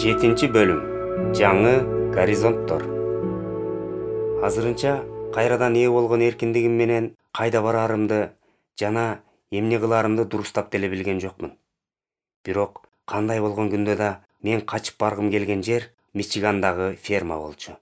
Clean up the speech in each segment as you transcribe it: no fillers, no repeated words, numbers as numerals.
7 бөлүм. Жаңы горизонттор. Азырынча кайрадан ээ болгон эркиндигим менен кайда барарымды жана эмне кыларымды дурустап деле билген жокмун. Бирок кандай болгон күндө да мен качып баргым келген жер Мичигандагы ферма болчу.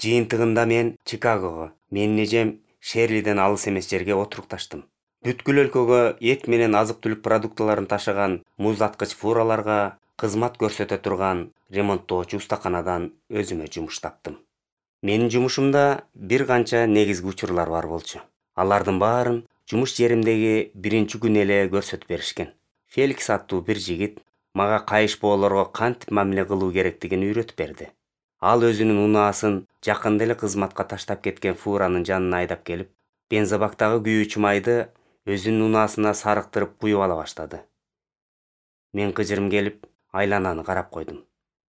Жыйынтыгында мен Чикагого, менин эжем Шерлиден алыс эмес жерге отурукташтым. Бүткүл өлкөгө эт менен азык-түлүк продуктыларын ташыган муздаткыч фураларга кызмат көрсөтө турган ремонттоочу устаканадан өзүмө жумуш таптым. Менин жумушумда бир канча негизги учурлар бар болчу. Алардын баарын жумуш жеримдеги биринчи күнү эле көрсөтүп беришкен. Феликс аттуу бир жигит мага кайышпоолорго кантип мамиле кылуу керектигин үйрөтүп берди. Ал өзүнүн унаасын жакында эле кызматка таштап кеткен фуранын жанына айдап келип, бензобактагы күйүүчү майды өзүнүн унаасына сарыктырып куюп ала баштады. Мен кыжырым келип, айлананы карап койдум.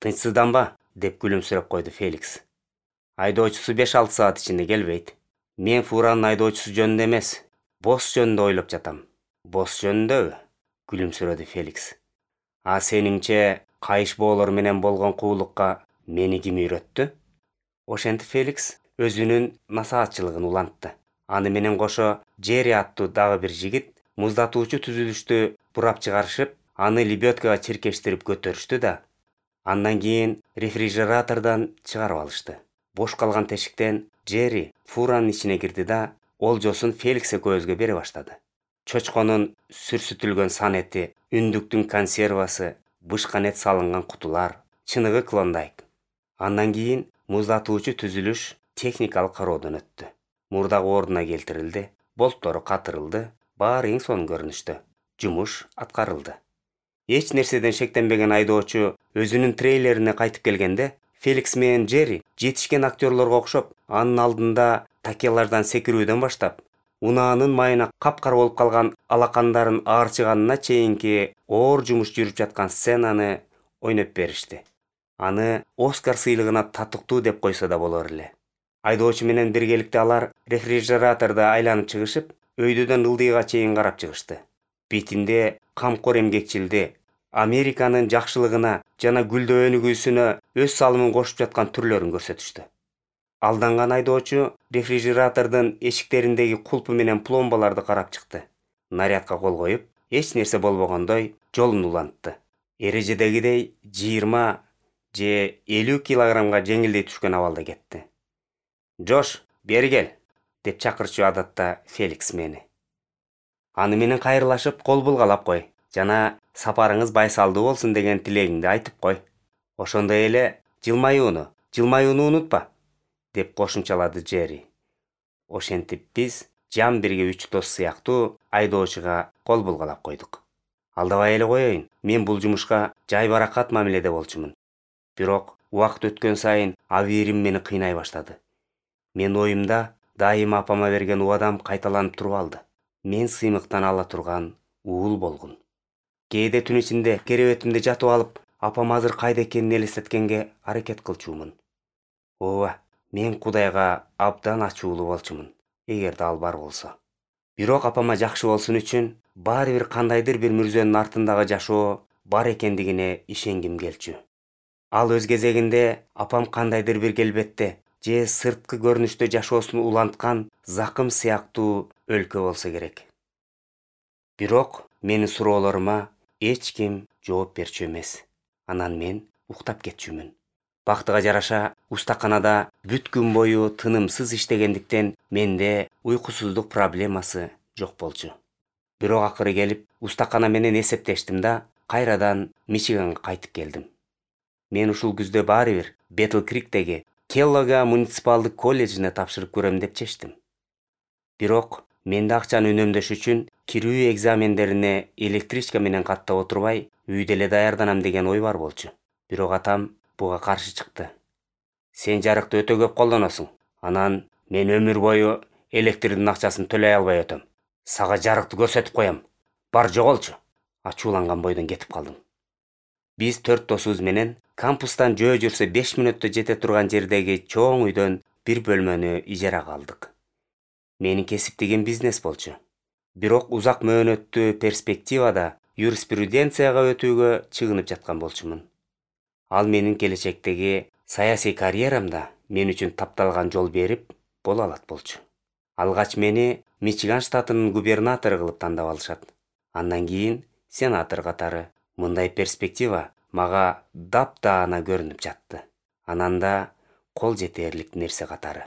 «Тынчсызданба», деп күлүмсүрөп койду Феликс. «Айдоочусу 5-6 саат ичинде келбейт. Мен фуранын айдоочусу жөнүндө эмес, босс жөнүндө ойлоп жатам». «Босс жөнүндөбү?» күлүмсүрөдү Феликс. «А сениңче кайышбоолор менен болгон куулукка мени ким үйрөттү?» Ошентип Феликс өзүнүн насаатчылыгын улантты. Аны менен кошо Джерри аттуу дагы бир жигит муздатуучу түзүлүштү бурап чыгарышып, аны лебедкага чиркештирип көтөрүштү да, андан кийин рефрижератордон чыгарып алышты. Бош калган тешиктен Джерри фуранын ичине кирди да, олжосун Феликс экөөбүзгө бере баштады. Чочконун сүрсүтүлгөн сан эти, үндүктүн консервасы, бышкан эт салынган кутулар, чыныгы клондайк. Андан кийин муздатуучу түзүлүш техникалык кароодон өттү. Мурдак ордуна келтирилди, болттору катырылды, баары эң сонун көрүнүштө. Жумуш аткарылды. Эч нерседен шектенбеген айдоочу өзүнүн трейлерине кайтып келгенде, Феликс менен Джерри жетишкен актерлорго окшоп, анын алдында такелаждан секирүүдөн баштап, унаанын майына капкара болуп калган алакандарын аарчыганына чейинки оор жумуш жүрүп жаткан сценаны ойноп беришти. Аны Оскар сыйлыгына татыктуу деп койсо да болор эле. Айдоочу менен биргеликте алар рефрижераторду айланып чыгышып, өйдөдөн ылдыйга чейин карап чыгышты. Бетинде камкор эмгекчилди, Американын жакшылыгына жана гүлдөө өнүгүүсүнө өз салымын кошуп жаткан түрлөрүн көрсөтүштү. Алданган айдоочу рефрижератордун эшиктериндеги кулпу менен пломбаларды карап чыкты. Нарядка кол коюп, эч нерсе болбогондой жолун улантты. Эрежедегидей 20 же 50 килограммга жеңилдей түшкөн абалда кетти. «Джош, бери кел», деп чакырчу адатта Феликс мени. Аны менен кайрылашып кол булгалап кой жана сапарыңыз байсалдуу болсун деген тилегиңди айтып кой. Ошондой эле жылмаюуну унутпа, деп кошумчалады Джерри. Ошентип биз жам бирге 3 дос сыяктуу айдоочуга кол булгалап койдук. Алдабай эле коеюн, мен бул жумушка жайбаракат мамиледе болчумун. Бирок убакыт өткөн сайын абийирим мени кыйнай баштады. Мен оюмда дайыма апама берген убадам кайталанып туруп алды. Мен сыймыктан ала турган уул болгун. Кээде түн ичинде керебетимде жатып алып, апам азыр кайда экенин элестеткенге аракет кылчумун. Ооба, мен Кудайга абдан ачуулуу болчумун, эгерде ал бар болсо. Бирок апама жакшы болсун үчүн баары бир кандайдыр бир мүрзөнүн артындагы жашоо бар экендигине ишенгим келчү. Ал өз кезегинде апам кандайдыр бир келбетте же сырткы көрүнүштө жашоосун уланткан закым сыяктуу өлкө болсо керек. Бирок менин суроолорума эч ким жооп берчү эмес. Анан мен уктап кетчүмүн. Бактыга жараша, устаканада бүт күн бою тынымсыз иштегендиктен менде уйкусуздук проблемасы жок болчу. Бирок акыры келип, устакана менен эсептештим да, кайрадан Мичиганга кайтып келдим. Мен ушул күздө баары бир Бетл Криктеги Келлога муниципалдык колледжине тапшырып көрөм деп чечтим. Бирок менде акчаны үнөмдөш үчүн кирүү экзамендерине электричка менен каттап отурбай, үйдө эле даярданам деген ой бар болчу. Бирок атам буга каршы чыкты. «Сен жарыкты өтө көп колдоносуң. Анан мен өмүр бою электрдин акчасын төлөй албай өтөм. Сага жарыкты көрсөтүп коем. Бар жоголчу», ачууланган бойдон кетип калдым. Биз 4 досубуз менен кампустан жөө жүрсө 5 мүнөттө жете турган жердеги чоң үйдөн бир бөлмөнү ижарага алдык. Менин кесиптигим бизнес болчу. Бирок узак мөөнөттүү перспективада юриспруденцияга өтүүгө чыгынып жаткан болчумун. Ал менин келечектеги саясий карьерамда мен үчүн тапталган жол берип боло алат болчу. Алгач мени Мичиган штатынын губернатору кылып тандап алышат. Андан кийин сенатор катары. Мындай перспектива мага дапдаана көрүнүп жатты. Анан да кол жетерлик нерсе катары.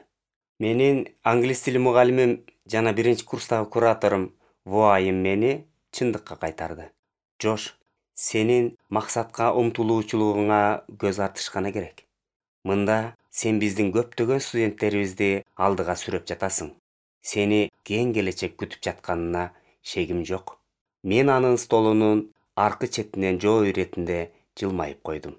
Менин англис тили мугалимим жана биринчи курстагы кураторум Вуайым мени чындыкка кайтарды. Жош, сенин максатка умтулуучулугуңа көз артышкана керек. Мында сен биздин көптөгөн студенттерибизди алдыга сүрөп жатасың. Сени кең келечек күтүп жатканына шегим жок. Мен анын столунун аркы четинен жоо иретинде жылмайып койдум.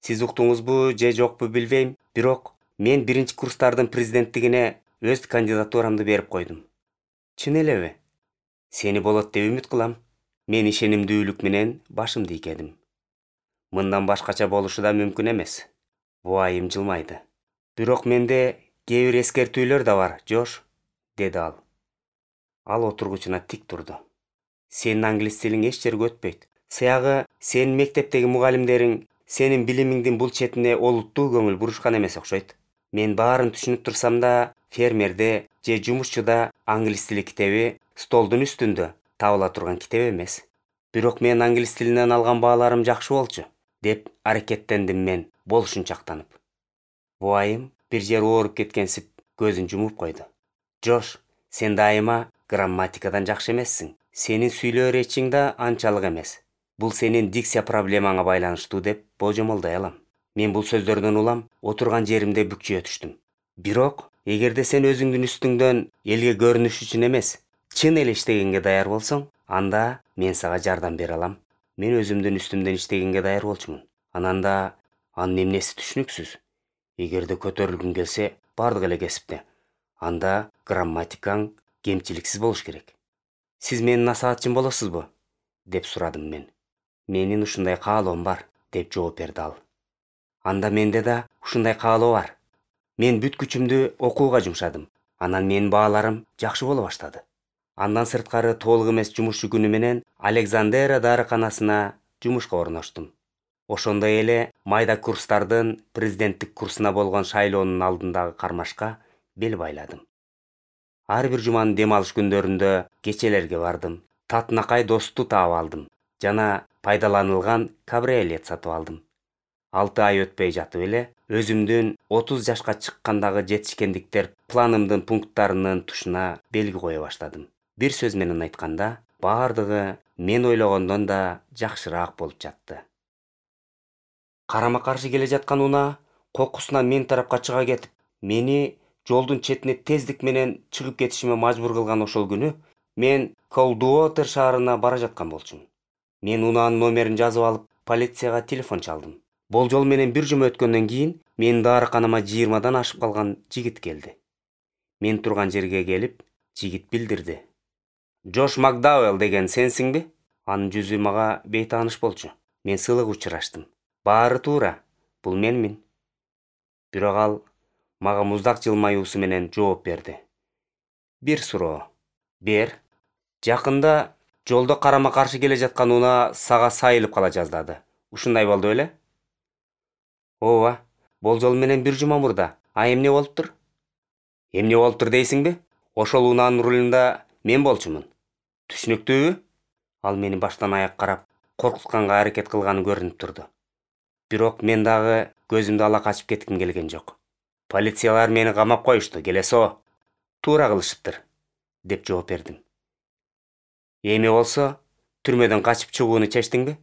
Сиз уктуңузбу же жокпу билбейм, бирок мен биринчи курстардын президенттигине өз кандидатурамды берип койдум. Чын элеби? Сени болот деп үмүт кылам. Мен ишенимдүүлүк менен башымды ийгедим. Мындан башкача болушу да мүмкүн эмес. Вуайым жылмайды. Бирок менде кээ бир эскертүүлөр да бар, Жош, деди ал. Ал отургучуна тик турду. Сенин англис тилиң эч жерге өтпөйт. Сыягы сенин мектептеги мугалимдериң сенин билимиңдин бул четине олуттуу көңүл бурушкан эмес окшойт. Мен баарын түшүнүп турсам да, фермерде же жумушчуда англис тили китеби столдун үстүндө табыла турган китеп эмес. Бирок мен англис тилинен алган бааларым жакшы болчу, деп аракеттендим мен болушунчактанып. Вуайым бир жери ооруп кеткенсип көзүн жумуп койду. Жош, сен дайыма грамматикадан жакшы эмессиң. Сенин сүйлөө речиң да анчалык эмес. Бул сенин дикция проблемаңа байланыштуу деп божомолдой алам. Мен бул сөздөрдөн улам отурган жеримде бүкчүйө түштүм. Бирок, эгерде сен өзүңдүн үстүңдөн элге көрүнүш үчүн эмес, чын эле иштегенге даяр болсоң, анда мен сага жардам бере алам. Мен өзүмдүн үстүмдөн иштегенге даяр болчумун. Анан да анын эмнеси түшүнүксүз. Эгерде көтөрүлгүң келсе, бардык эле кесипте. Анда грамматикаң кемчиликсиз болуш керек. Сиз менин насаатчым болосузбу? Деп сурадым мен. Менин ушундай каалоом бар, деп жооп берди ал. Анда менде да ушундай каалоо бар. Мен бүт күчүмдү окууга жумшадым. Анан менин бааларым жакшы боло баштады. Андан сырткары толук эмес жумушчу күнү менен Александера дарыканасына жумушка орноштум. Ошондой эле майда курстардын президенттик курсуна болгон шайлоонун алдындагы кармашка бел байладым. Ар бир жуманын дем алыш күндөрүндө кечелерге бардым. Татынакай досту таап алдым жана пайдаланылган кабриолет сатып алдым. 6 ай өтпөй жатып эле өзүмдүн 30 жашка чыккандагы жетишкендиктер планымдын пункттарынын тушуна белги кое баштадым. Бир сөз менен айтканда, баардыгы мен ойлогондон да жакшыраак болуп жатты. Карама-каршы келе жаткан унаа кокусунан мен тарапка чыга кетип, мени жолдун четине тездик менен чыгып кетишиме мажбур кылган ошол күнү мен Колдуотер шаарына бара жаткан болчумун. Мен унаанын номерин жазып алып, полицияга телефон чалдым. Болжол менен бир жума өткөндөн кийин менин дарыканама 20дан ашып калган жигит келди. Мен турган жерге келип, жигит билдирди. Джош Макдауэлл деген сенсиңби? Анын жүзү мага бейтааныш болчу. Мен сылык учураштым. Баары туура, бул менмин. Бирок ал мага муздак жылмаюусу менен жооп берди. Бир суроо. Бер. Жакында жолдо карама-каршы келе жаткан унаа сага сайылып кала жаздады. Ушундай болду беле? Ооба, болжол менен бир жума мурда. А эмне болуптур? Эмне болуптур дейсиңби? Ошол унаанын рулунда мен болчумун. Түшүнүктүүбү? Ал мени баштан аяк карап, коркутканга аракет кылганы көрүнүп турду. Бирок мен дагы көзүмдү ала качып кетким келген жок. Полициялар мени камап коюшту, келесо. Туура кылышыптыр, деп жооп бердим. Эми болсо, түрмөдөн качып чыгууну чечтиңби?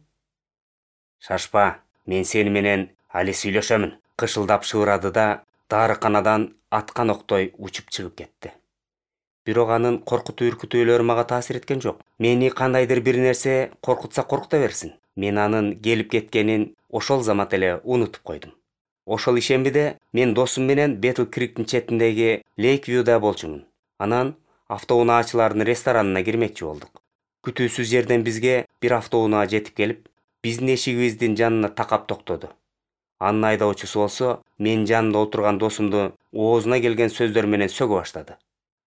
Шашпа, мен сени менен али сүйлөшөмүн. Кышылдап шыбырады да дарыканадан аткан октой учуп чыгып кетти. Бирок анын коркутуу-үркүтүүлөрү мага таасир эткен жок. Мени кандайдыр бир нерсе коркутса коркута берсин. Мен анын келип кеткенин ошол замат эле унутуп койдум. Ошол ишембиде мен досум менен Бетл Криктин четиндеги Лейквьюда болчумун. Анан автоунаачылардын ресторанына кирмекчи болдук. Күтүүсүз жерден бизге бир автоунаа жетип келип, биздин эшигибиздин жанына такап токтоду. Анын айдоочусу болсо, менин жанымда отурган досумду оозуна келген сөздөр менен сөгө баштады.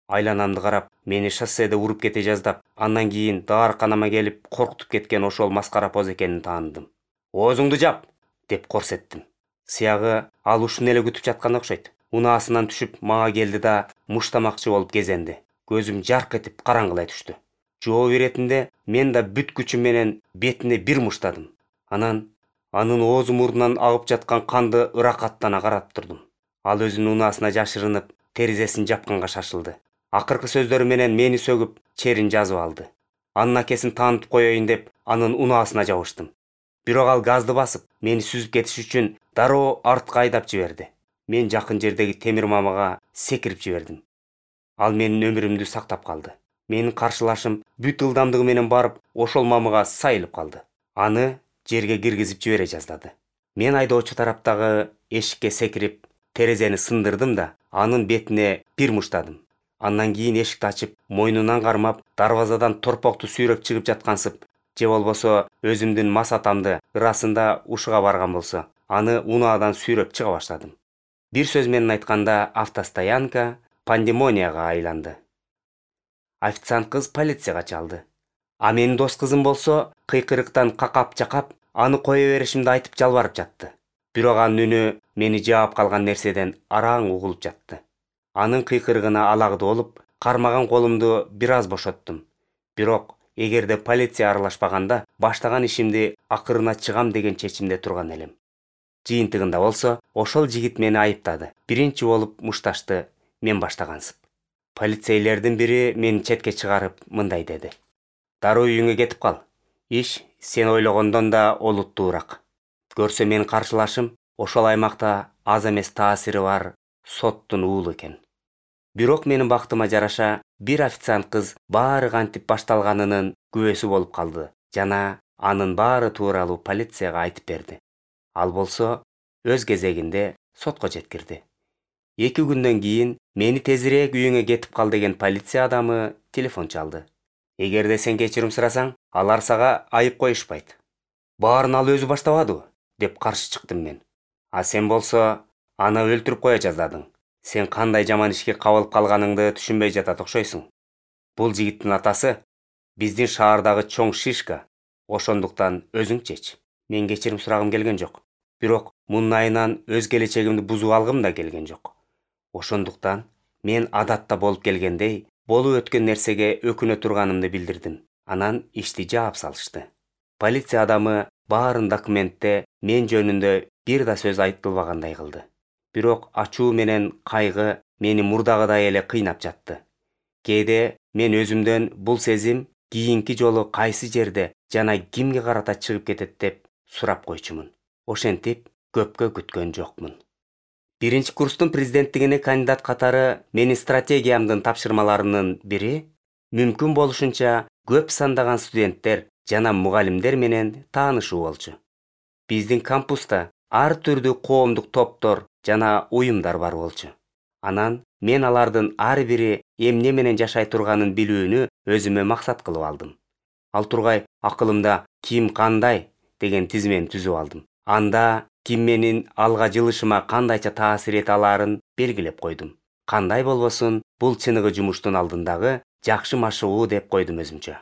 Айланамды карап, мени шосседе уруп кете жаздап, андан кийин дарыканама келип коркутуп кеткен ошол маскара поз экенин таандым. Оозуңду жап, деп корсеттим. Сыягы ал ушуну эле күтүп жаткан окшойт. Унаасынан түшүп мага келди да муштамакчы болуп кезенди. Көзүм жарк этип караңгылай түштү. Жооп иретинде мен да бүт күчүм менен бетине бир муштадым. Анан анын оозу мурдунан агып жаткан канды ыракаттана карап турдум. Ал өзүнүн унаасына жашырынып, терезесин жапканга шашылды. Акыркы сөздөрү менен мени сөгүп, черин жазып алды. Анын акесин таанытып коеюн деп, анын унаасына жабыштым. Бирок ал газды басып, мени сүзүп кетиш үчүн дароо артка айдап жиберди. Мен жакын жердеги темир мамага секирип жибердим. Ал менин өмүрүмдү сактап калды. Менин каршылашым бүт ылдамдыгы менен барып, ошол мамыга сайылып калды. Аны жерге киргизип жибере жаздады. Мен айдоочу тараптагы эшикке секирип, терезени сындырдым да, анын бетине бир муштадым. Андан кийин эшикти ачып, мойнунан кармап, дарбазадан торпокту сүйрөп чыгып жаткансып, же болбосо өзүмдүн масатамды ырасында ушуга барган болсо, аны унаадан сүйрөп чыга баштадым. Бир сөз менен айтканда, автостоянка пандемонияга айланды. Официант кыз полицияга чалды. А менин дос кызым болсо кыйкырыктан какап-чакап, аны кое беришимди айтып жалбарып жатты. Бирок анын үнү мени жаап калган нерседен араң угулуп жатты. Анын кыйкырыгына алагды болуп, кармаган колумду бир аз бошоттум. Бирок эгерде полиция аралашпаганда, баштаган ишимди акырына чыгам деген чечимде турган элем. Жыйынтыгында болсо, ошол жигит мени айыптады. Биринчи болуп мушташты мен баштагансып. Полицейлердин бири мени четке чыгарып мындай деди: "Дароо үйүңө кетип кал. Иш сен ойлогондон да олуттуураак. Көрсө менин каршылашым ошол аймакта аз эмес таасири бар соттун уулу экен." Бирок менин бактыма жараша, бир официант кыз баары кантип башталганынын күбөсү болуп калды жана анын баары тууралуу полицияга айтып берди. Ал болсо өз кезегинде сотко жеткирди. 2 күндөн кийин мени тезирээк үйүңө кетип кал деген полиция адамы телефон чалды. Эгерде сен кечирим сурасаң, алар сага айып коюшпайт. Баарын ал өзү баштабадыбы? Деп каршы чыктым мен. А сен болсо аны өлтүрүп кое жаздадың. Сен кандай жаман ишке кабылып калганыңды түшүнбөй жатат окшойсуң. Бул жигиттин атасы биздин шаардагы чоң шишка. Ошондуктан өзүң чеч. Мен кечирим сурагым келген жок. Бирок мунун айынан өз келечегимди бузуп алгым да келген жок. Ошондуктан мен адатта болуп келгендей, болуп өткөн нерсеге өкүнө турганымды билдирдим. Анан ишти жаап салышты. Полиция адамы баарын документте мен жөнүндө бир да сөз айтылбагандай кылды. Бирок ачуу менен кайгы мени мурдагыдай эле кыйнап жатты. Кээде мен өзүмдөн бул сезим кийинки жолу кайсы жерде жана кимге карата чыгып кетет деп сурап койчумун. Ошентип көпкө күткөн жокмун. Биринчи курстун президенттигине кандидат катары менин стратегиямдын тапшырмаларынын бири мүмкүн болушунча көп сандаган студенттер жана мугалимдер менен таанышуу болчу. Биздин кампуста ар түрдүү коомдук топтор жана уюмдар бар болчу. Анан мен алардын ар бири эмне менен жашай турганын билүүнү өзүмө максат кылып алдым. Ал тургай акылымда ким кандай деген тизмени түзүп алдым. Анда ким менин алга жылышыма кандайча таасир эте алаарын белгилеп койдум. Кандай болбосун, бул чыныгы жумуштун алдындагы жакшы машыгуу деп койдум өзүмчө.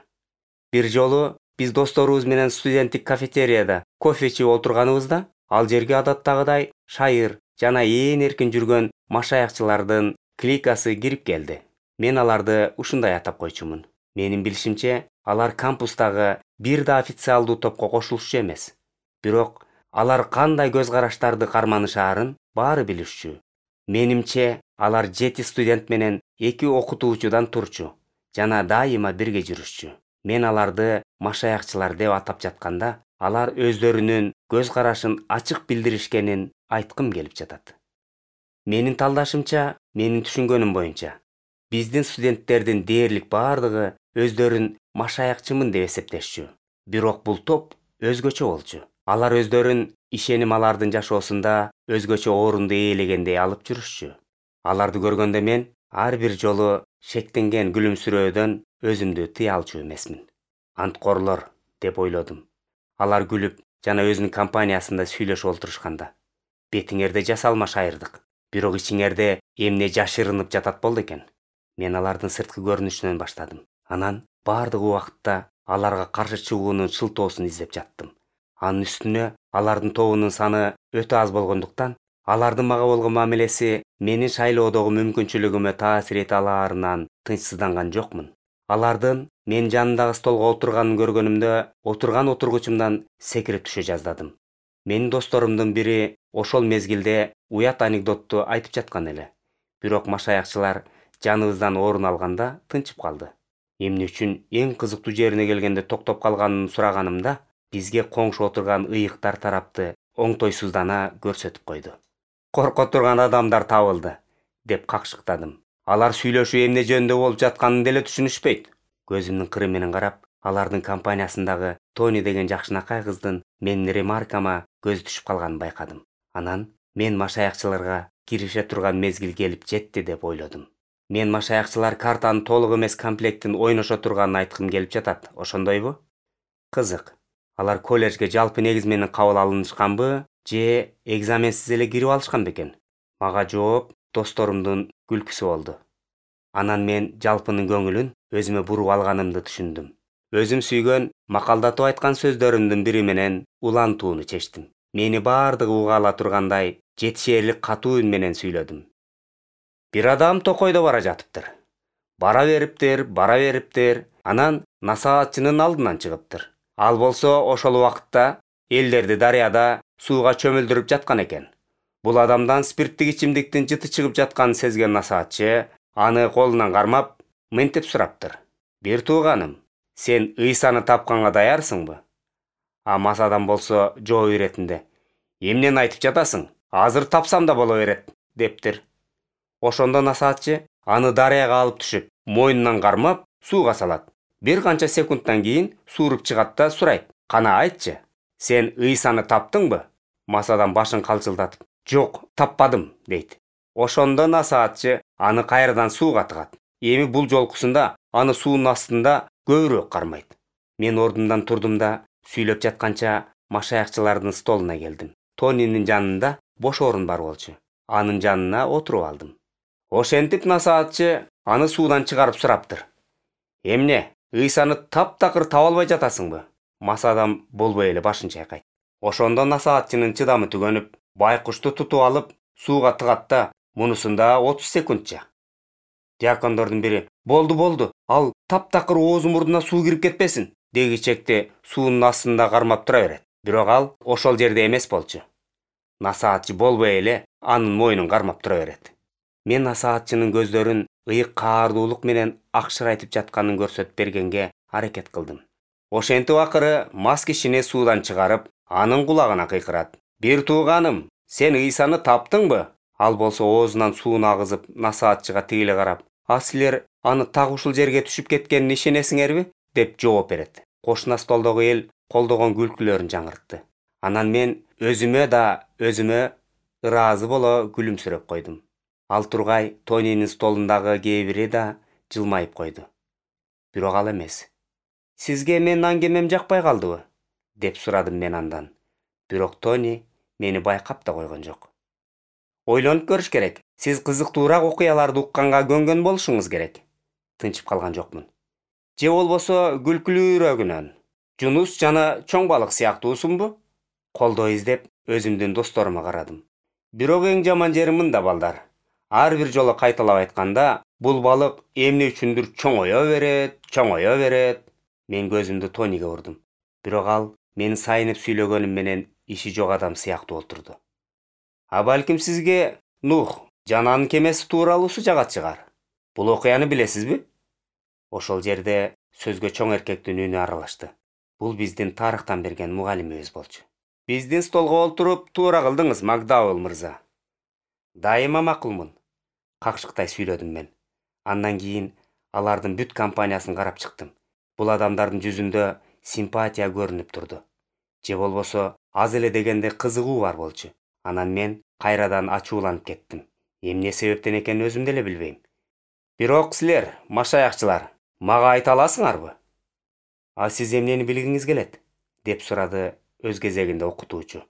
Бир жолу биз досторубуз менен студенттик кафетерияда кофе ичип отурганыбызда, ал жерге адаттагыдай шайыр жана ээн эркин жүргөн машаякчылардын кликасы кирип келди. Мен аларды ушундай атап койчумун. Менин билишимче, алар кампустагы бир да официалдуу топко кошулушчу эмес. Бирок алар кандай көз караштарды карманышаарын баары билишчү. Менимче, алар 7 студент менен 2 окутуучудан турчу жана дайыма бирге жүрүшчү. Мен аларды машаякчылар деп атап жатканда, алар өздөрүнүн көз карашын ачык билдиришкенин айткым келип жатат. Менин талдашымча, менин түшүнгөнүм боюнча, биздин студенттердин дээрлик баардыгы өздөрүн машаякчымын деп эсептешчү. Бирок бул топ өзгөчө болчу. Алар өздөрүн ишеним алардын жашоосунда өзгөчө орунду ээлегендей алып жүрүшчү. Аларды көргөндө мен ар бир жолу шектенген күлүмсүрөөдөн өзүмдү тыя алчу эмесмин. Анткорлор деп ойлодум. Алар күлүп жана өзүнүн компаниясында сүйлөшүп олтурушканда. Бетиңерде жасалма шайырдык. Бирок ичиңерде эмне жашырынып жатат болду экен. Мен алардын сырткы көрүнүшүнөн баштадым. Анан баардык убакытта аларга каршы чыгуунун шылтоосун издеп жаттым. Анын үстүнө Алардын тобунун саны өтө аз болгондуктан, алардын мага болгон мамилеси менин шайлоодогу мүмкүнчүлүгүмө таасир эте алаарынан тынчсызданган жокмун. Алардын мен жанындагы столго отурганын көргөнүмдө, отурган отургучумдан секирип түшө жаздадым. Менин досторумдун бири ошол мезгилде уят анекдотту айтып жаткан эле. Бирок машаякчылар жаныбыздан орун алганда тынчып калды. Эмне үчүн эң кызыктуу жерине келгенде токтоп калганын сураганымда, бизге коңшу отурган ыйыктар тарапты оңтойсуздана көрсөтүп койду. Корко турган адамдар табылды, деп какшыктадым. Алар сүйлөшүү эмне жөнүндө болуп жатканын деле түшүнүшпөйт. Көзүмдүн кыры менен карап, алардын компаниясындагы Тони деген жакшынакай кыздын менин ремаркама көзү түшүп калганын байкадым. Анан мен машаякчыларга кирише турган мезгил келип жетти деп ойлодум. Мен машаякчылар картанын толук эмес комплектин ойношо турганын айткым келип жатат, ошондойбу? Кызык. Алар колледжге жалпы негиз менен кабыл алынышканбы, же экзаменсиз эле кирип алышкан бекен? Мага жооп досторумдун күлкүсү болду. Анан мен жалпынын көңүлүн өзүмө буруп алганымды түшүндүм. Өзүм сүйгөн макалдатып айткан сөздөрүмдүн бири менен улантууну чечтим. Мени баардыгы уга ала тургандай жетишээрлик катуу үн менен сүйлөдүм. Бир адам токойдо бара жатыптыр. Бара бериптир, анан насаатчынын алдынан чыгыптыр. Ал болсо ошол убакытта элдерди дарыяда сууга чөмүлдүрүп жаткан экен. Бул адамдан спирттик ичимдиктин жыты чыгып жатканын сезген насаатчы аны колунан кармап, мынтип сураптыр. Бир тууганым, сен Ыйсаны тапканга даярсыңбы? А мас адам болсо жооп иретинде: эмнени айтып жатасың? Азыр тапсам да боло берет, дептир. Ошондо насаатчы аны дарыяга алып түшүп, мойнунан кармап, сууга салат. Бир канча секундтан кийин сууруп чыгат да сурайт: кана айтчы, сен Ыйсаны таптыңбы? Мас адам башын калчылдатып: жок, таппадым, дейт. Ошондо насаатчы аны кайрадан сууга тыгат. Эми бул жолкусунда аны суунун астында көбүрөөк кармайт. Мен ордумдан турдум да сүйлөп жатканча машаякчылардын столуна келдим. Тонинин жанында бош орун бар болчу. Анын жанына отуруп алдым. Ошентип насаатчы аны суудан чыгарып сураптыр: эмне, Ыйсаны таптакыр таба албай жатасыңбы? Мас адам болбой эле башын чайкайт. Ошондо насаатчынын чыдамы түгөнүп, байкушту тутуп алып сууга тыгат да мунусунда 30 секундча. Диакондордун бири: болду, ал таптакыр оозу мурдуна суу кирип кетпесин, дегичекти суунун астында кармап тура берет. Бирок ал ошол жерде эмес болчу. Насаатчы болбой эле анын мойнун кармап тура берет. Мен насаатчынын көздөрүн ыйык каардуулук менен акшырайтып жатканын көрсөтүп бергенге аракет кылдым. Ошентип акыры мас кишини суудан чыгарып, анын кулагына кыйкырат: бир тууганым, сен Ыйсаны таптыңбы? Ал болсо оозунан сууну агызып, насаатчыга тигиле карап: а силер аны так ушул жерге түшүп кеткенине ишенесиңерби? Деп жооп берет. Кошуна столдогу эл колдогон күлкүлөрүн жаңыртты. Анан мен өзүмө ыраазы боло күлүмсүрөп койдум. Ал тургай Тонинин столундагы кээ бири да жылмайып койду. Бирок ал эмес. Сизге менин аңгемем жакпай калдыбы? Деп сурадым мен андан. Бирок Тони мени байкап да койгон жок. Ойлонуп көрүш керек. Сиз кызыктуураак окуяларды укканга көнгөн болушуңуз керек. Тынчып калган жокмун. Же болбосо күлкүлүүрөгүнөн Жунус жана чоң балык сыяктуусунбу? Колдоо издеп өзүмдүн досторума карадым. Бирок эң жаман жери мында, балдар. Ар бир жолу кайталап айтканда, бул балык эмне үчүндүр чоңое берет. Мен көзүмдү Тониге бурдум. Бирок ал менин сайынып сүйлөгөнүм менен иши жок адам сыяктуу отурду. А балким сизге Нух жана анын кемеси тууралуусу жагат чыгар. Бул окуяны билесизби? Ошол жерде сөзгө чоң эркектин үнү аралашты. Бул биздин тарыхтан берген мугалимибиз болчу. Биздин столго олтуруп туура кылдыңыз, Макдауэлл мырза. Дайыма макулмун, какшыктай сүйлөдүм мен. Андан кийин алардын бүт компаниясын карап чыктым. Бул адамдардын жүзүндө симпатия көрүнүп турду. Же болбосо аз эле дегенде кызыгуу бар болчу. Анан мен кайрадан ачууланып кеттим. Эмне себептен экенин өзүм деле билбейм. Бирок силер, машаякчылар, мага айта аласыңарбы? А сиз эмнени билгиңиз келет? Деп сурады өз кезегинде окутуучу.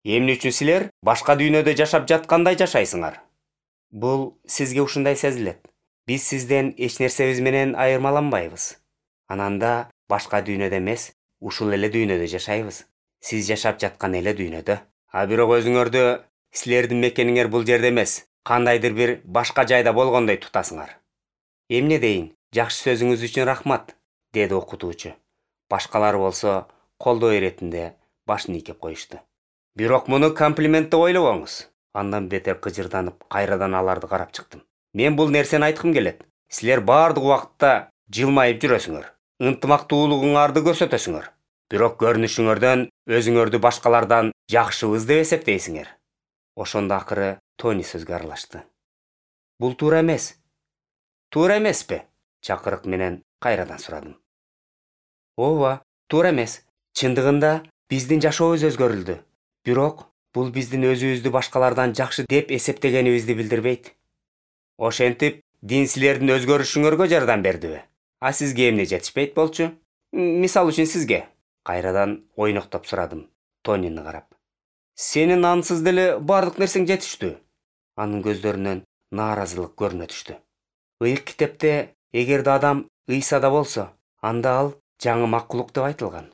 Эмне үчүн силер башка дүйнөдө жашап жаткандай жашайсыңар? Бул сизге ушундай сезилет. Биз сизден эч нерсебиз менен айырмаланбайбыз. Ананда башка дүйнөдө эмес, ушул эле дүйнөдө жашайбыз. Сиз жашап жаткан эле дүйнөдө. А бирок өзүңөрдү силердин мекениңер бул жерде эмес, кандайдыр бир башка жайда болгондой тутасыңар. Эмне дейин, жакшы сөзүңүз үчүн рахмат, деди окутуучу. Башкалар болсо колдоо иретинде башын ийкеп коюшту. Бирок муну комплимент деп ойлобоңуз. Андан бетер кыжырданып, кайрадан аларды карап чыктым. Мен бул нерсени айткым келет. Силер баардык убакытта жылмайып жүрөсүңөр. Ынтымактуулугуңарды көрсөтөсүңөр. Бирок көрүнүшүңөрдөн өзүңөрдү башкалардан жакшыбыз деп эсептейсиңер. Ошондо акыры Тони сөзгө аралашты. Бул туура эмес. Туура эмеспи? Чакырык менен кайрадан сурадым. Ооба, туура эмес. Чындыгында биздин жашообуз өзгөрүлдү. Бирок бул биздин өзүбүздү башкалардан жакшы деп эсептегенибизди билдирбейт. Ошентип, дин силердин өзгөрүшүңөргө жардам бердиби? А сизге эмне жетишпейт болчу? Мисалы үчүн сизге. Кайрадан ойноктоп сурадым, Тонини карап. Сенин ансыз деле бардык нерсең жетиштүү. Анын көздөрүнөн нааразылык көрүнө түштү. Ыйык китепте эгерде адам Ыйсада болсо, анда ал жаңы макулук деп айтылган.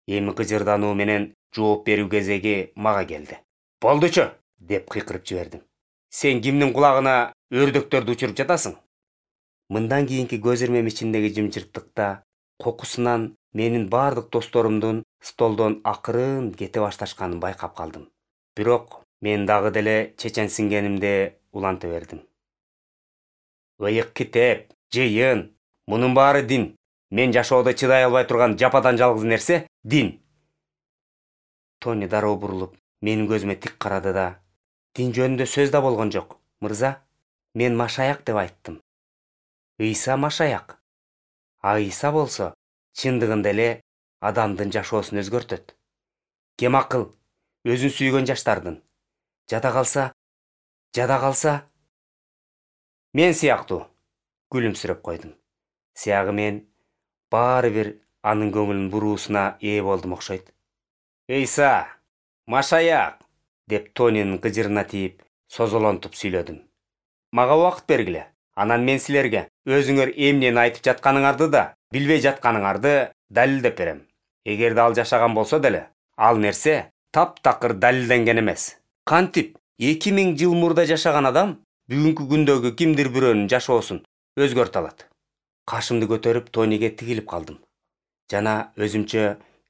Эми кыжырдануу менен жооп берүү кезеги мага келди. Болдучу, деп кыйкырып жибердим. Сен кимдин кулагына өрдөктөрдү учуруп жатасың? Мындан кийинки көз ирмем ичиндеги жымжырттыкта кокусунан менин бардык досторумдун столдон акырын кете башташканын байкап калдым. Бирок мен дагы деле чеченсингенимде уланта бердим. Ыйык китеп, жыйын, мунун баары дин. Мен жашоодо чыдай албай турган жападан жалгыз нерсе дин. Тони дароо бурулуп, менин көзүмө тик карады да: Дин жөнүндө сөз да болгон жок, мырза. Мен Машаяк деп айттым. Ыйса Машаяк. А Ыйса болсо чындыгында эле адамдын жашоосун өзгөртөт. Кем акыл, өзүн сүйгөн жаштардын. Жада калса, мен сыяктуу, күлүмсүрөп койдум. Сыягы мен баары бир анын көңүлүн буруусуна ээ болдум окшойт. Ыйса, Машаяк, деп Тонинин кыжырына тийип, созолонтуп сүйлөдүм. Мага убакыт бергиле. Анан мен силерге өзүңөр эмнени айтып жатканыңарды да, билбей жатканыңарды далилдеп берем. Эгерде ал жашаган болсо деле, ал нерсе таптакыр далилденген эмес. Кантип 2000 жыл мурда жашаган адам бүгүнкү күндөгү кимдир бирөөнүн жашоосун өзгөртө алат. Кашымды көтөрүп Тониге тигилип калдым. Жана өзүмчө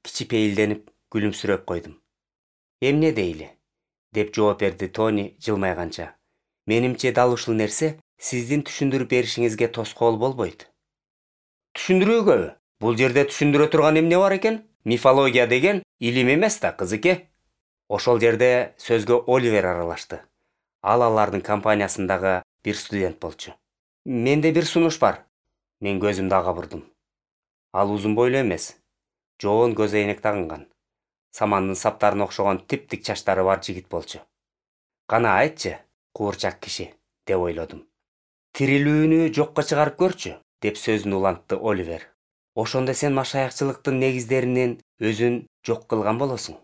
кичипейилденип күлүмсүрөп койдум. Эмне дейли? Деп жооп берди Тони жылмайганча. Менимче дал ушул нерсе сиздин түшүндүрүп беришиңизге тоскоол болбойт. Түшүндүрүүгөбү? Бул жерде түшүндүрө турган эмне бар экен? Мифология деген илим эмес да, кызыке. Ошол жерде сөзгө Оливер аралашты. Ал алардын компаниясындагы бир студент болчу. Менде бир сунуш бар. Мен көзүмдү ага бурдум. Ал узун бойлуу эмес, жоон көз эйнек тагынган, самандын саптарына окшогон типтик чачтары бар жигит болчу. Кана айтчы, куурчак киши, деп ойлодум. Тирилүүнү жокко чыгарып көрчү, деп сөзүн улантты Оливер. Ошондо сен машаякчылыктын негиздеринен өзүн жок кылган болосуң.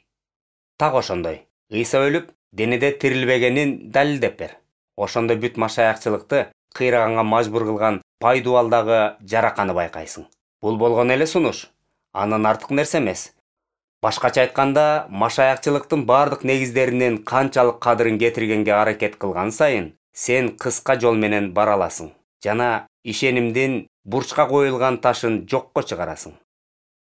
Так ошондой. Ыйса өлүп, денеде тирилбегенин далилдеп бер. Ошондо бүт машаякчылыкты кыйраганга мажбур кылган пайдубалдагы жараканы байкайсың. Бул болгон эле сунуш. Андан артык нерсе эмес. Башкача айтканда, машаякчылыктын бардык негиздеринен канчалык кадырын кетиргенге аракет кылган сайын, сен кыска жол менен бара аласың. Жана ишенимдин бурчка коюлган ташын жокко чыгарасың.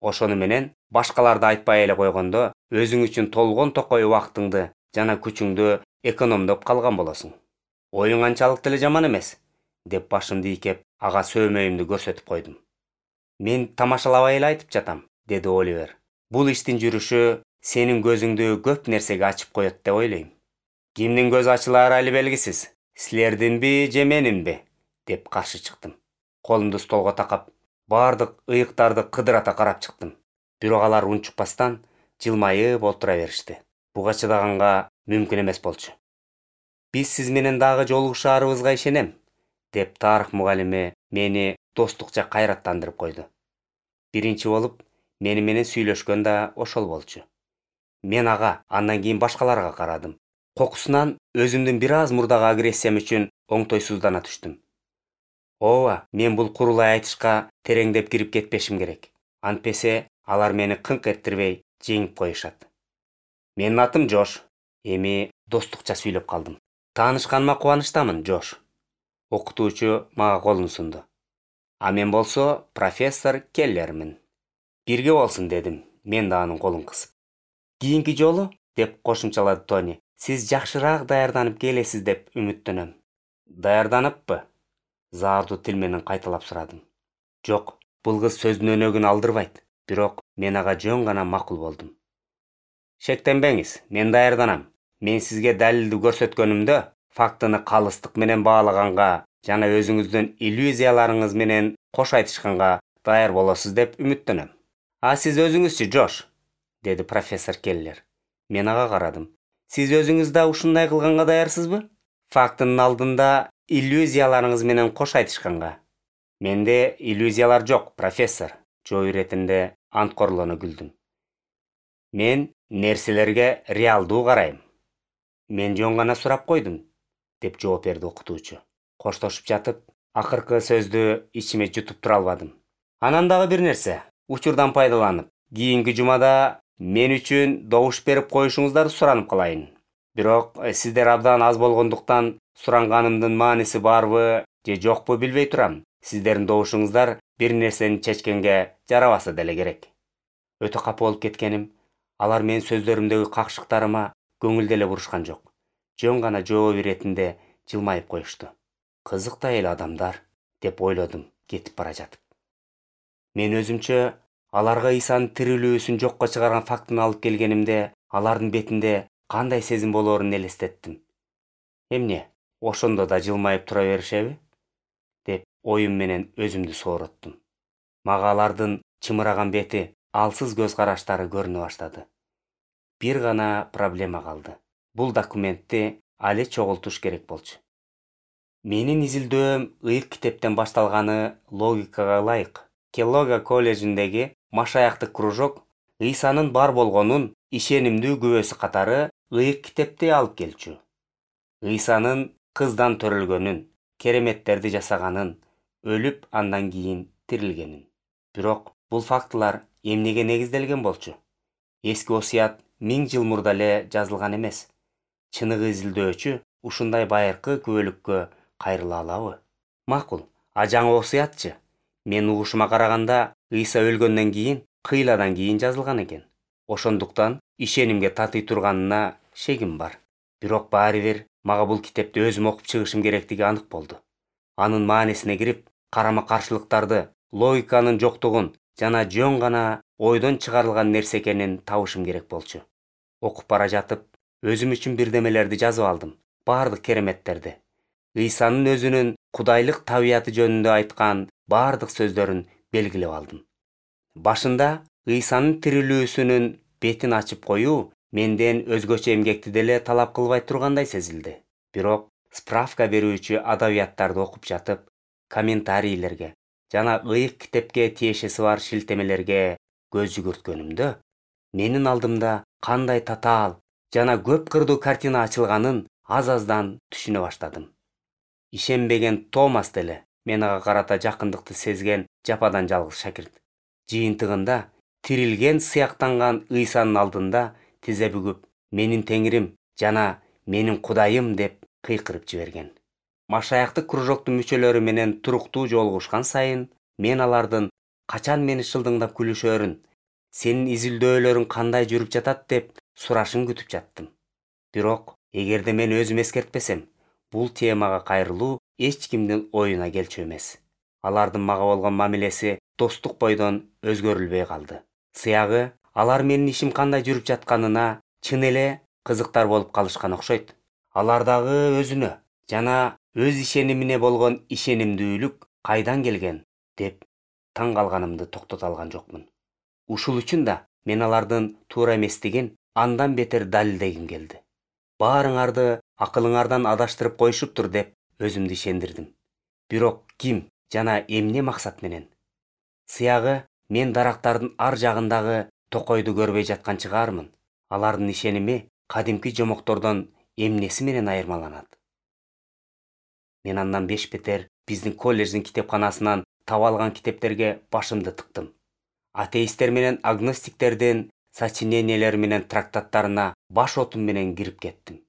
Ошону менен башкаларды айтпай эле койгондо, өзүң үчүн толгон токой убактыңды жана күчүңдү экономдоп калган болосуң. Оюң анчалык деле жаман эмес, деп башымды ийкеп, ага сөөмөйүмдү көрсөтүп койдум. Мен тамашалабай эле айтып жатам, деди Оливер. Бул иштин жүрүшү сенин көзүңдү көп нерсеге ачып коет деп ойлойм. Кимдин көзү ачылары али белгисиз. Силердинби же менинби? Деп каршы чыктым. Колумду столго такап, бардык ыйыктарды кыдырата карап чыктым. Бирок алар унчукпастан жылмайып олтура беришти. Буга чыдаганга мүмкүн эмес болчу. Биз сиз менен дагы жолугушаарыбызга ишенем, деп тарых мугалими мени достукча кайраттандырып койду. Биринчи болуп мени менен сүйлөшкөн да ошол болчу. Мен ага, андан кийин башкаларга карадым. Кокусунан өзүмдүн бир аз мурдагы агрессиям үчүн оңтойсуздана түштүм. Ооба, мен бул курулай айтышка тереңдеп кирип кетпешим керек. Антпесе алар мени кыңк эттирбей жеңип коюшат. Менин атым Жош. Эми достукча сүйлөп калдым. Таанышканыма кубанычтамын, Жош. Окутуучу мага колун сунду. А мен болсо профессор Келлермин. Бирге болсун дедим, мен да анын колун кысып. Кийинки жолу, деп кошумчалады Тони, сиз жакшыраак даярданып келесиз деп үмүттөнөм. Даярданыппы? Заардуу тил менен кайталап сурадым. Жок, бул кыз сөздүн өнөгүн алдырбайт, бирок мен ага жөн гана макул болдум. Шектенбеңиз, мен даярданам. Мен сизге далилди көрсөткөнүмдө, фактыны калыстык менен баалаганга жана өзүңүздүн иллюзияларыңыз менен кош айтышканга даяр болосуз деп үмүттөнөм. А сиз өзүңүзчү, Жош? Деди профессор Келлер. Мен ага карадым. Сиз өзүңүз да ушундай кылганга даярсызбы? Фактынын алдында иллюзияларыңыз менен кош айтышканга. Менде иллюзиялар жок, профессор. Жоо иретинде анткорлоно күлдүм. Мен нерселерге реалдуу карайм. Мен жөн гана сурап койдум, деп жооп берди окутуучу. Коштошуп жатып, акыркы сөздү ичиме жутуп тура албадым. Анан дагы бир нерсе, учурдан пайдаланып, кийинки жумада мен үчүн добуш берип коюшуңуздарды суранып калайын. Бирок сиздер абдан аз болгондуктан суранганымдын мааниси барбы же жокпу билбей турам. Сиздердин добушуңуздар бир нерсени чечкенге жарабаса деле керек. Өтө капа болуп кеткеним, алар менин сөздөрүмдөгү какшыктарыма көңүл деле бурушкан жок. Жөн гана жооп иретинде жылмайып коюшту. Кызык да эле адамдар, деп ойлодум кетип бара жатып. Мен өзүмчө аларга Исанын тирилүүсүн жокко чыгарган фактын алып келгенимде, алардын бетинде кандай сезим болоорун элестеттим. Эмне, ошондо да жылмайып тура беришеби? Деп оюм менен өзүмдү соороттум. Мага алардын чымыраган бети, алсыз көз караштары көрүнө баштады. Бир гана проблема калды. Бул документти али чогултуш керек болчу. Менин изилдөөм ыйык китептен башталганы логикага ылайык. Келлога колледжиндеги машаяктык кружок Исанын бар болгонун ишенимдүү күбөсү катары ыйык китепти алып келчү. Исанын кыздан төрөлгөнүн, кереметтерди жасаганын, өлүп андан кийин тирилгенин. Бирок бул фактылар эмнеге негизделген болчу? Эски осуят 1000 жыл мурда эле жазылган эмес. Чыныгы изилдөөчү ушундай байыркы күбөлүккө кайрыла алабы? Макул, а жаңы осуятчы? Мен угушума караганда, Иса өлгөндөн кийин, кыйладан кийин жазылган экен. Ошондуктан ишенимге татый турганына шегим бар. Бирок баары бир мага бул китепти өзүм окуп чыгышым керектиги анык болду. Анын маанисине кирип, карама-каршылыктарды, логиканын жоктугун жана жөн гана ойдон чыгарылган нерсе экенин табышым керек болчу. Окуп бара жатып, өзүм үчүн бирдемелерди жазып алдым. Бардык кереметтерди. Исанын өзүнүн кудайлык табияты жөнүндө айткан бардык сөздөрүн белгилеп алдым. Башында Исанын тирилүүсүнүн бетин ачып коюу менден өзгөчө эмгекти деле талап кылбай тургандай сезилди. Бирок справка берүүчү адабияттарды окуп жатып, комментарийлерге жана ыйык китепке тиешеси бар шилтемелерге көз жүгүрткөнүмдө, менин алдымда кандай татаал жана көп кырдуу картина ачылганын аз-аздан түшүнө баштадым. Ишенбеген Томас деле мен ага карата жакындыкты сезген жападан жалгыз шакирт. Жыйынтыгында тирилген сыяктанган Исанын алдында тизе бүгүп, менин теңирим жана менин Кудайым деп кыйкырып жиберген. Машаяктык кружоктун мүчөлөрү менен туруктуу жолугушкан сайын, мен алардын качан мени шылдыңдап күлүшөрүн, сенин изилдөөлөрүң кандай жүрүп жатат деп сурашын күтүп жаттым. Бирок, эгерде мен өзүм эскертпесем, бул темага кайрылуу эч кимдин оюна келчү эмес. Алардын мага болгон мамилеси достук бойдон өзгөрүлбөй калды. Сыягы, алар менин ишим кандай жүрүп жатканына чын эле кызыктар болуп калышкан окшойт. Алардагы өзүнө жана өз ишенимине болгон ишенимдүүлүк кайдан келген деп таң калганымды токтото алган жокмун. Ушул үчүн да мен алардын туура эместигин андан бетер далилдегим келди. Баарыңарды акылыңардан адаштырып коюшуптур деп өзүмдү ишендирдим. Бирок ким жана эмне максат менен? Сыягы, мен дарактардын ар жагындагы токойду көрбөй жаткан чыгармын. Алардын ишеними кадимки жомоктордон эмнеси менен айырмаланат? Мен андан беш бетер биздин колледждин китепканасынан таба алган китептерге башымды тыктым. Атеисттер менен агностиктердин сочинениялери менен трактаттарына баш отум менен кирип кеттим.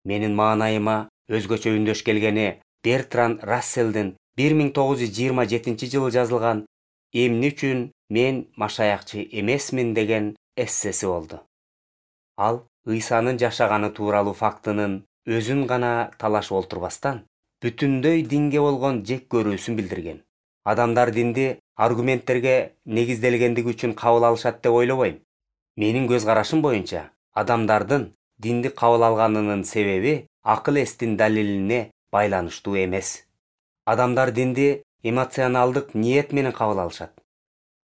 Менин маанайыма өзгөчө үндөш келгени Бертран Расселдин 1927 жылы жазылган «Эмне үчүн мен машаякчы эмесмин» деген эссеси болду. Ал Ыйсанын жашаганы тууралуу фактынын өзүн гана талашып олтурбастан, бүтүндөй динге болгон жек көрүүсүн билдирген. Адамдар динди аргументтерге негизделгендиги үчүн кабыл алышат деп ойлобойм. Менин көз карашым боюнча, адамдардын динди кабыл алганынын себеби акыл эстин далилине байланыштуу эмес. Адамдар динди эмоционалдык ниет менен кабыл алышат.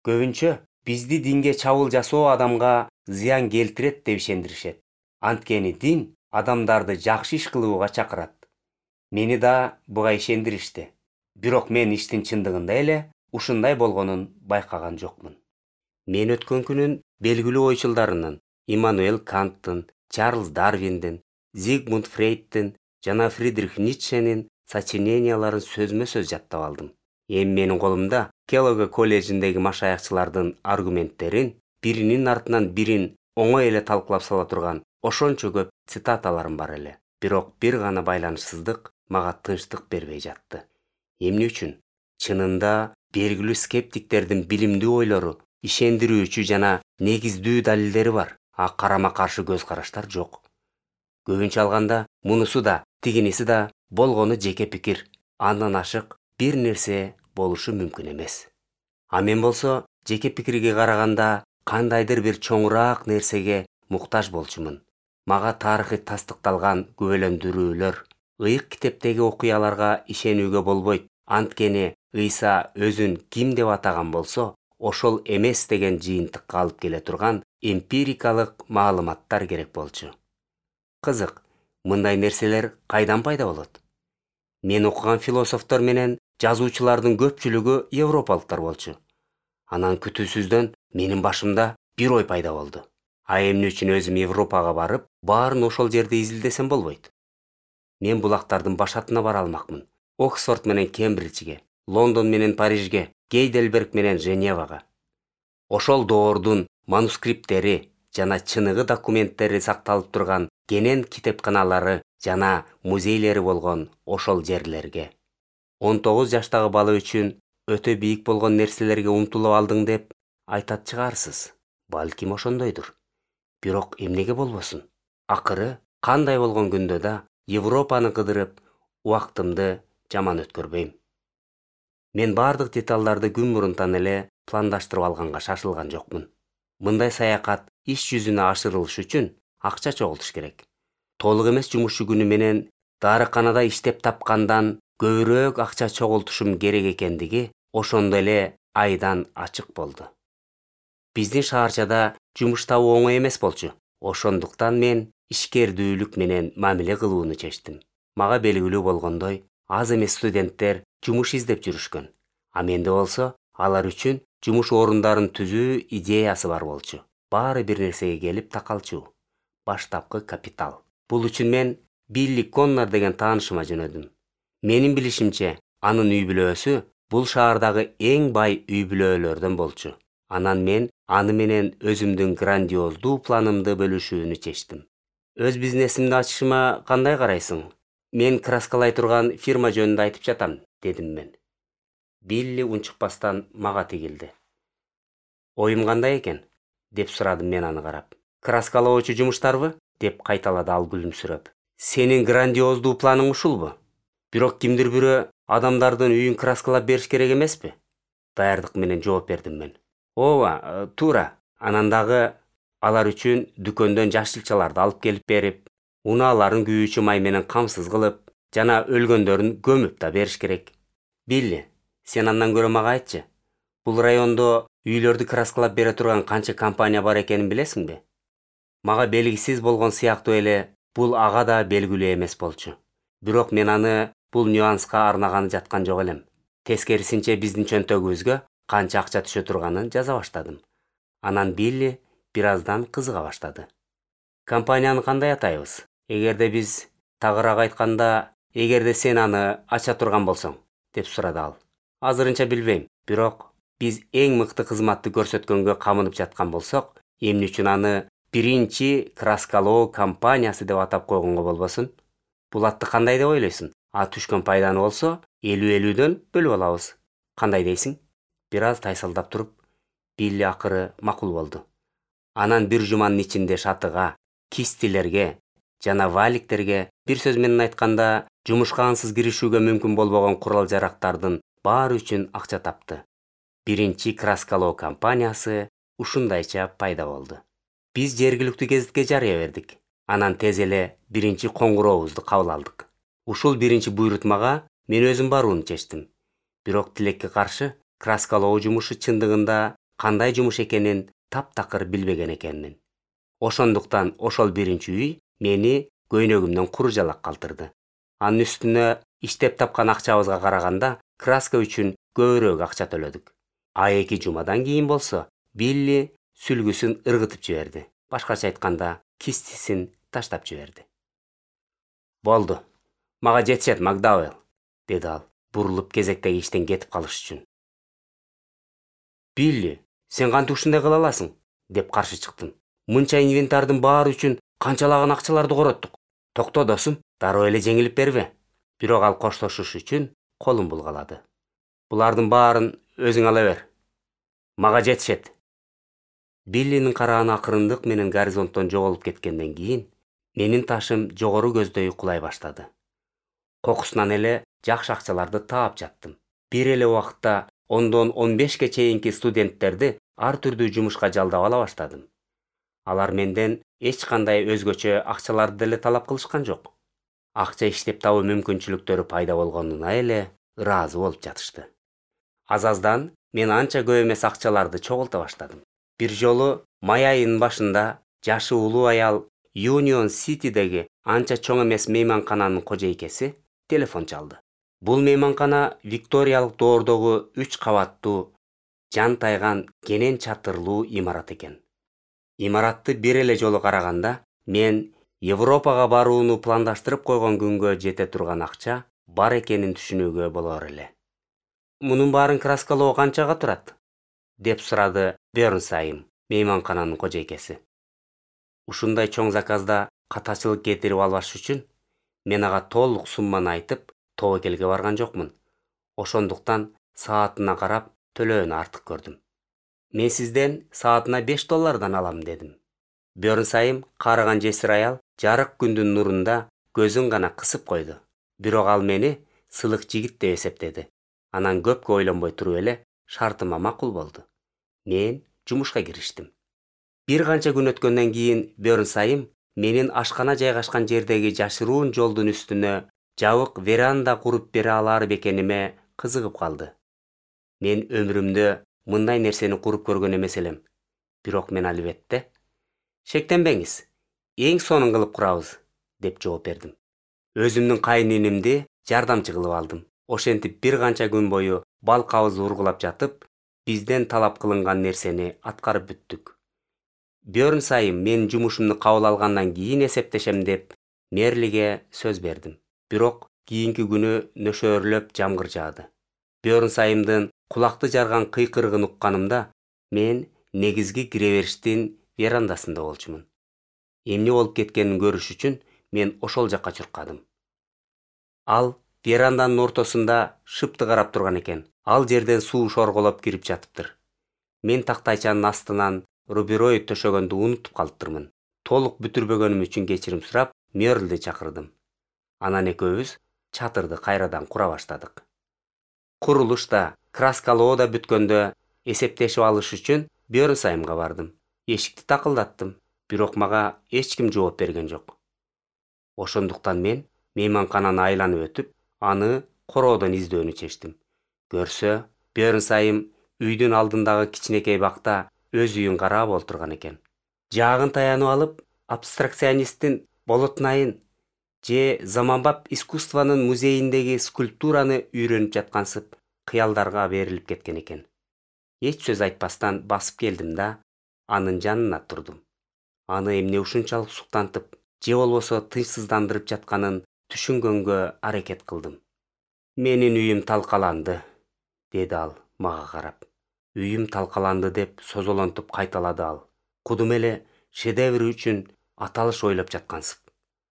Көбүнчө бизди динге чабуул жасоо адамга зыян келтирет деп ишендиришет. Анткени дин адамдарды жакшы иш кылууга чакырат. Мени да буга ишендиришти. Бирок мен иштин чындыгында эле ушундай болгонун байкаган жокмун. Мен өткөн күнүн белгилүү ойчулдарынын, Иммануэл Канттын, Чарльз Дарвиндин, Зигмунд Фрейдтин жана Фридрих Ницшенин сочиненияларын сөзмө-сөз жаттап алдым. Эми менин колумда Келлогг колледжиндеги машаякчылардын аргументтерин биринин артынан бирин оңой эле талкуулап сала турган ошончо көп цитаталарым бар эле. Бирок бир гана байланышсыздык мага тынчтык бербей жатты. Эмне үчүн? Чынында белгилүү скептиктердин билимдүү ойлору, ишендирүүчү жана негиздүү далилдери бар, а карама-каршы көз караштар жок. Көбүнчө алганда мунусу да, тигиниси да болгону жеке пикир. Андан ашык бир нерсе болушу мүмкүн эмес. А мен болсо жеке пикирге караганда кандайдыр бир чоңураак нерсеге муктаж болчумун. Мага тарыхый тастыкталган күбөлөндүрүүлөр, ыйык китептеги окуяларга ишенүүгө болбойт. Анткени Ыйса өзүн ким деп атаган болсо, ошол эмес деген жыйынтыкка алып келе турган эмпирикалык маалыматтар керек болчу. Кызык, мындай нерселер кайдан пайда болот? Мен окуган философтор менен жазуучулардын көпчүлүгү европалыктар болчу. Анан күтүүсүздөн менин башымда бир ой пайда болду. А эмне үчүн өзүм Европага барып, баарын ошол жерде изилдесем болбойт? Мен булактардын башатына бара алмакмын. Оксфорд менен Кембриджге, Лондон менен Парижге, Гейдельберг менен Женевага. Ошол доордун манускриптери жана чыныгы документтери сакталып турган кенен китепканалары жана музейлери болгон ошол жерлерге. 19 жаштагы бала үчүн өтө бийик болгон нерселерге умтулуп алдың деп айтат чыгарсыз. Балким ошондойдур. Бирок эмнеге болбосун? Акыры кандай болгон күндө да Европаны кыдырып, убактымды жаман өткөрбөйм. Мен бардык деталдарды күн мурунтан эле пландаштырып алганга шашылган жокмун. Мындай саякат иш жүзүнө ашырылыш үчүн акча чогултуш керек. Толук эмес жумушчу күнү менен дарыканада иштеп тапкандан көбүрөөк акча чогултушум керек экендиги ошондо эле айдан ачык болду. Биздин шаарчада жумуш табуу оңой эмес болчу. Ошондуктан мен ишкердүүлүк менен мамиле кылууну чечтим. Мага белгилүү болгондой, аз эмес студенттер жумуш издеп жүрүшкөн. А менде болсо алар үчүн жумуш орундарын түзүү идеясы бар болчу. Баары бир нерсеге келип такалчу. Баштапкы капитал. Бул үчүн мен Билли Коннор деген таанышыма жөнөдүм. Менин билишимче, анын үй бүлөөсү бул шаардагы эң бай үй бүлөлөрдөн болчу. Анан мен аны менен өзүмдүн грандиоздуу планымды бөлүшүүнү чечтим. Өз бизнесимди ачышыма кандай карайсың? Мен краскалай турган фирма жөнүндө айтып жатам, дедим мен. Билли унчукпастан мага тигилди. Оюм кандай экен? Деп сурадым мен аны карап. Краскалоочу жумуштарбы? Деп кайталады ал күлүмсүрөп. Сенин грандиоздуу планың ушулбу? Бирок кимдир бирөө адамдардын үйүн краскалап бериш керек эмеспи? Даярдык менен жооп бердим мен. Ооба, туура. Анан дагы алар үчүн дүкөндөн жашылчаларды алып келип берип, унааларын күйүүчү май менен камсыз кылып, жана өлгөндөрүн көмүп да бериш керек. Билли, сен андан көрө мага айтчы. Бул райондо үйлөрдү краскалап бере турган канча компания бар экенин билесиңби? Мага белгисиз болгон сыяктуу эле бул ага да белгилүү эмес болчу. Бирок мен аны бул нюанска арнаганы жаткан жок элем. Тескерисинче биздин чөнтөгүбүзгө канча акча түшө турганын жаза баштадым. Анан Билли бир аздан кызыга баштады. Компанияны кандай атайбыз? Эгерде биз тагыраак айтканда, эгерде сен аны ача турган болсоң, деп сурады ал. Азырынча билбейм, бирок биз эң мыкты кызматты көрсөткөнгө камынып жаткан болсок, Эмне үчүн аны биринчи краскалоо компаниясы деп атап койгонго болбосун? Бул атты кандай деп ойлойсуң? А түшкөн пайданы болсо 50-50дөн бөлүп алабыз. Кандай дейсиң? Бир аз тайсалдап туруп, Билли акыры макул болду. Анан бир жуманын ичинде шатыга, кистилерге жана валиктерге, бир сөз менен айтканда, жумушка ансыз киришүүгө мүмкүн болбогон курал-жарактардын баары үчүн акча тапты. Биринчи краскалоо компаниясы ушундайча пайда болду. Биз жергиликтүү гезитке жарыя бердик. Анан тез эле биринчи коңгурообузду кабыл алдык. Ушул биринчи буйрутмага мен өзүм барууну чечтим. Бирок тилекке каршы, краскалоо жумушу чындыгында кандай жумуш экенин таптакыр билбеген экенмин. Ошондуктан ошол биринчи үй мени көйнөгүмдөн куру жалак калтырды. Анын үстүнө иштеп тапкан акчабызга караганда краска үчүн көбүрөөк акча төлөдүк. А 2 жумадан кийин болсо Билли сүлгүсүн ыргытып жиберди. Башкача айтканда, кистисин таштап жиберди. Болду. Мага жетишет, Макдауэлл, деди ал, бурулуп кезектеги иштен кетип калыш үчүн. Билли, сен кантип ушундай кыла аласың? Деп каршы чыктым. Мынча инвентардын баары үчүн канчалаган акчаларды короттук. Токто досум, дароо эле жеңилип бербе. Бирок ал коштошуш үчүн колун булгалады. Булардын баарын өзүң ала бер. Мага жетишет. Биллинин карааны акырындык менен горизонттон жоголуп кеткенден кийин, менин ташым жогору көздөй кулай баштады. Кокусунан эле жакшы акчаларды таап жаттым. Бир эле убакытта 10дон 15ке чейинки студенттерди ар түрдүү жумушка жалдап ала баштадым. Алар менден эч кандай өзгөчө акчаларды деле талап кылышкан жок. Акча иштеп табуу мүмкүнчүлүктөрү пайда болгонуна эле ыраазы болуп жатышты. Азаздан мен анча көп эмес акчаларды чогулта баштадым. Бир жолу май айынын башында жашы улуу аял Union City'деги анча чоң эмес мейманкананын кожойкеси телефон чалды. Бул мейманкана Викториялык доордогу 3 кабаттуу, жан тайган кенен чатырлуу имарат экен. Имаратты бир эле жолу караганда, мен Европага барууну пландаштырып койгон күнгө жете турган акча бар экенин түшүнүүгө болор эле. Мунун баарын краскалоо канчага турат? Деп сурады Бернсайм, мейманкананын кожойкеси. Ушундай чоң заказда катачылык кетирип албаш үчүн мен ага толук сумманы айтып, тобокелге барган жокмун. Ошондуктан саатына карап төлөөнү артык көрдүм. Мен сизден саатына $5 алам, дедим. Бернсайм, карыган жесир аял, жарык күндүн нурунда көзүн гана кысып койду. Бирок ал мени сылык жигит деп эсептеди. Анан көпкө ойлонбой туруп эле шартыма макул болду. Мен жумушка кириштим. Бир канча күн өткөндөн кийин Бернсайм менин ашкана жайгашкан жердеги жашыруун жолдун үстүнө жабык веранда куруп бере алар бекениме кызыгып калды. Мен өмүрүмдө мындай нерсени куруп көргөн эмес элем. Бирок мен албетте, шектенбеңиз, эң сонун кылып курабыз, деп жооп бердим. Өзүмдүн кайнинимди жардамчы кылып алдым. Ошентип бир канча күн бою балкабызды ургулап жатып, бизден талап кылынган нерсени аткарып бүттүк. Бернсайм мен жумушумду кабыл алгандан кийин эсептешем деп Мерлиге сөз бердим. Бирок кийинки күнү нөшөөрлөп жамгыр жаады. Бернсаймдын кулакты жарган кыйкырыгын укканымда, мен негизги киребериштин верандасында болчумун. Эмне болуп кеткенин көрүш үчүн мен ошол жакка чуркадым. Ал веранданын ортосунда шыпты карап турган экен. Ал жерден суу шорголоп кирип жатыптыр. Мен тактайчанын астынан рубероид төшөгөндү унутуп калыптырмын. Толук бүтүрбөгөнүм үчүн кечирим сурап, Мерлди чакырдым. Анан экөөбүз чатырды кайрадан кура баштадык. Курулуш да, краскалоо да бүткөндө эсептешип алыш үчүн Бернсаймга бардым. Эшикти такылдаттым, бирок мага эч ким жооп берген жок. Ошондуктан мен мейманкананы айланып өтүп, аны короодон издөөнү чечтим. Көрсө, Бернсайм үйдүн алдындагы кичинекей бакта өз үйүн карап олтурган экен. Жаагын таянып алып, абстракционисттин полотнайын же заманбап искусствонун музейиндеги скульптураны үйрөнүп жаткансып, кыялдарга берилип кеткен экен. Эч сөз айтпастан басып келдим да, анын жанына турдум. Аны эмне ушунчалык суктантып, же болбосо тынчсыздандырып жатканын түшүнгөнгө аракет кылдым. Менин үйүм талкаланды, деди ал мага карап. Үйүм талкаланды деп созолонтуп кайталады ал. Кудум эле шедевр үчүн аталыш ойлоп жаткансып.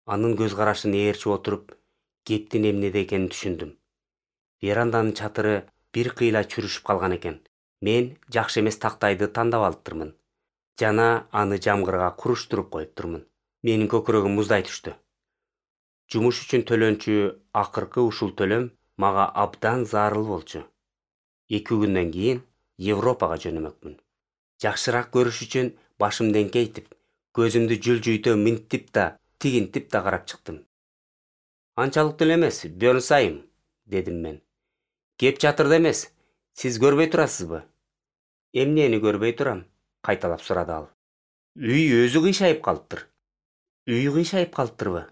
Анын көз карашын ээрчип отуруп, кептин эмнеде экенин түшүндүм. Веранданын чатыры бир кыйла чүрүшүп калган экен. Мен жакшы эмес тактайды тандап алыптырмын жана аны жамгырга куруштуруп коюптурмун. Менин көкүрөгүм муздай түштү. Жумуш үчүн төлөнчү акыркы ушул төлөм мага абдан зарыл болчу. 2 күндөн кийин Европага жөнөмөкмүн. Жакшыраак көрүш үчүн башымды эңкейтип, көзүмдү жүлжүйтө минтип да, тигинтип да карап чыктым. Анчалык деле эмес, Бёрнсайм, дедим мен. Кеп чатырда эмес, сиз көрбөй турасызбы? Эмнени көрбөй турам? Кайталап сурады ал. Үй өзү кыйшайып калыптыр. Үй кыйшайып калыптырбы?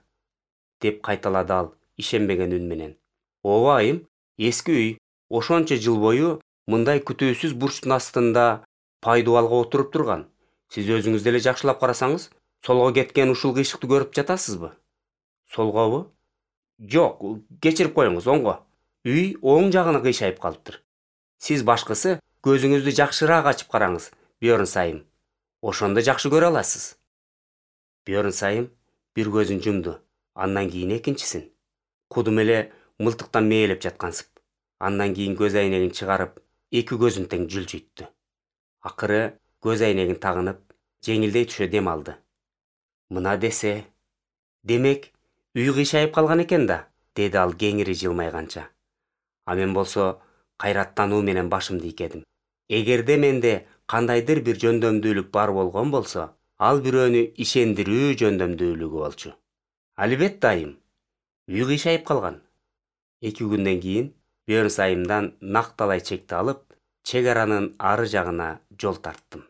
Деп кайталады ал ишенбеген үн менен. Ооба айым, эски үй ошончо жыл бою мындай күтүүсүз бурчтун астында пайдубалга отуруп турган. Сиз өзүңүз деле жакшылап карасаңыз, солго кеткен ушул кыйшыкты көрүп жатасызбы? Солгобу? Жок, кечирип коюңуз, оңго. Үй оң жагына кыйшайып калыптыр. Сиз башкысы көзүңүздү жакшыраак ачып караңыз, Бёрнсайм. Ошондо жакшы көрө аласыз. Бёрнсайм бир көзүн жумду, андан кийин экинчисин. Кудум эле мылтыктан мээлеп жаткансып. Андан кийин көз айнегин чыгарып, 2 көзүн тең жүлжүттү. Акыры көз айнегин тагынып, жеңилдей түшө дем алды. Мына десе, демек, үй кыйшайып калган экен да, деди ал кеңири жылмайганча. А мен болсо кайраттануу менен башымды ийкедим. Эгерде менде кандайдыр бир жөндөмдүүлүк бар болгон болсо, ал бирөөнү ишендирүү жөндөмдүүлүгү болчу. Албетте айым, үй кыйшайып калган. 2 күндөн кийин Бёрнсайымдан накталай чекти алып, чек аранын ары жагына жол тарттым.